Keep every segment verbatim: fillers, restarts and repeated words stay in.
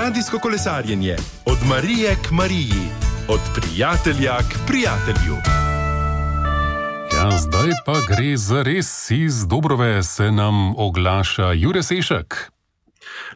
Radijsko kolesarjenje od Marije k Mariji, od prijatelja k prijatelju. Ja, zdaj pa gre za res. Iz Dobrove se nam oglaša Jure Sešak.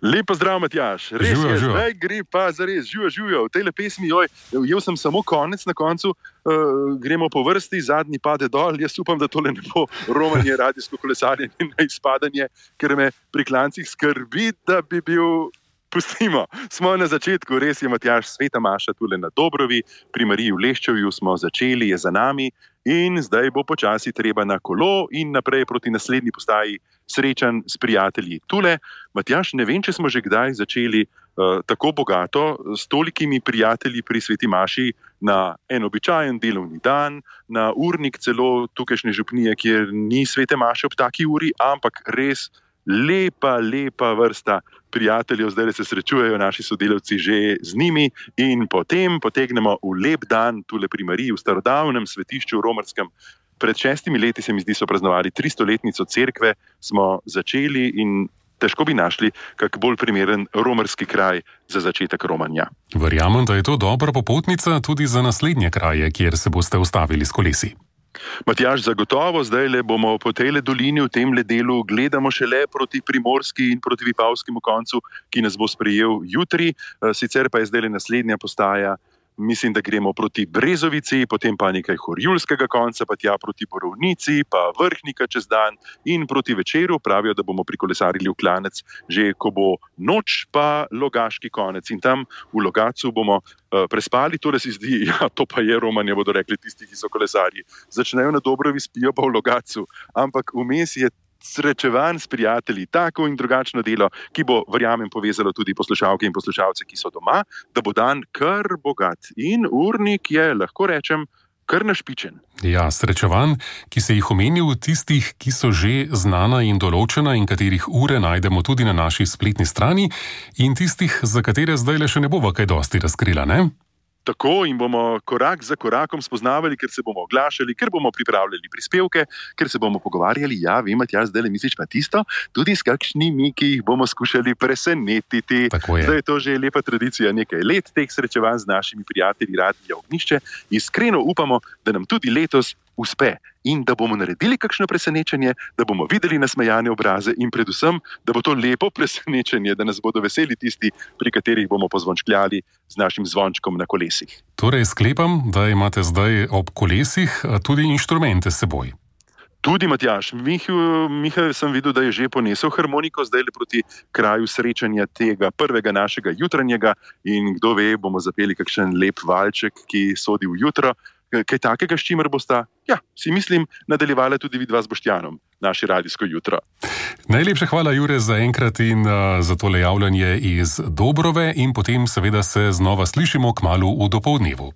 Lepo zdrav, Matjaž. Res Živijo, je, živijo. zdaj gre pa za res. Živijo, živijo. V tejle pesmi, joj, jel sem samo konec na koncu, uh, gremo po vrsti, zadnji pade dol. Jaz upam, da tole ne bo romanje, radijsko kolesarjenje na izpadanje, ker me pri klancih skrbi, da bi bil... Pustimo, smo na začetku, res je, Matjaž, Sveta Maša tule na Dobrovi, pri Mariji v Leščevju smo začeli, je za nami in zdaj bo počasi treba na kolo in naprej proti naslednji postaji srečan s prijatelji. Tule, Matjaž, ne vem, če smo že kdaj začeli uh, tako bogato s tolikimi prijatelji pri Sveti Maši na en običajen delovni dan, na urnik celo tukajšnje župnije, kjer ni Svete Maše ob taki uri, ampak res lepa, lepa vrsta prijateljev, zdaj se srečujejo naši sodelavci že z njimi in potem potegnemo v lep dan tule pri Mariji v starodavnem svetišču romarskem. Pred šestimi leti, se mi zdi, so praznovali tristoletnico cerkve, smo začeli in težko bi našli kak bolj primeren romarski kraj za začetek romanja. Verjamem, da je to dobra popotnica tudi za naslednje kraje, kjer se boste ustavili s kolesi. Matjaž, zagotovo zdajle bomo po tejle dolini v temle delu gledamo šele proti primorski in proti vipavskemu koncu, ki nas bo sprejel jutri, sicer pa je zdajle naslednja postaja. Mislim, da gremo proti Brezovici, potem pa nekaj Horjulskega konca, pa tja proti Borovnici, pa Vrhnika čez dan in proti večeru. Pravijo, da bomo prikolesarili v Klanec, že ko bo noč, pa Logaški konec. In tam v Logacu bomo uh, prespali, torej se zdi, ja, to pa je romanje, bodo rekli tisti, ki so kolesarji. Začnejo na Dobrovi, spijo pa v Logacu, ampak vmes je srečevan s prijatelji, tako in drugačno delo, ki bo, verjamem, povezalo tudi poslušalke in poslušalce, ki so doma, da bo dan kar bogat. In urnik je, lahko rečem, kar našpičen. Ja, srečevan, ki se jih omenil, tistih, ki so že znana in določena in katerih ure najdemo tudi na naši spletni strani, in tistih, za katere zdaj le še ne bova kaj dosti razkrila, ne? Tako in bomo korak za korakom spoznavali, ker se bomo oglašali, ker bomo pripravljali prispevke, ker se bomo pogovarjali, ja, vem, Matjaž, zdaj le misliš pa tisto, tudi s kakšnimi, ki jih bomo skušali presenetiti. Tako je. Zdaj je to že lepa tradicija, nekaj let teh srečevanj z našimi prijatelji Radia Ognjišče. Iskreno upamo, da nam tudi letos uspe in da bomo naredili kakšno presenečenje, da bomo videli nasmejane obraze in predvsem, da bo to lepo presenečenje, da nas bodo veseli tisti, pri katerih bomo pozvončkljali z našim zvončkom na kolesih. Torej sklepam, da imate zdaj ob kolesih tudi inštrumente s seboj. Tudi, Matjaž, Miha sem videl, da je že ponesel harmoniko zdaj le proti kraju srečanja tega prvega našega jutranjega in kdo ve, bomo zapeli kakšen lep valček, ki sodi v jutro. Kaj takega, s čimer bosta, ja, si mislim, nadaljevala tudi vidva z Boštjanom, naše radijsko jutro. Najlepša hvala, Jure, za enkrat in uh, za tole javljanje iz Dobrove in potem seveda se znova slišimo kmalu v dopoldnevu.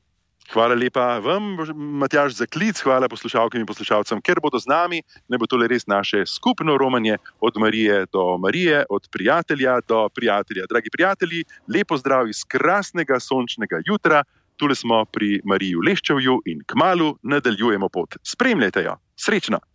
Hvala lepa vam, Matjaž, za klic, hvala poslušalkam in poslušalcem, ker bodo z nami, ne bo tole res naše skupno romanje od Marije do Marije, od prijatelja do prijatelja. Dragi prijatelji, lepo zdrav iz krasnega sončnega jutra. Tule smo pri Mariji v Leščevju in kmalu nadaljujemo pot. Spremljajte jo. Srečno!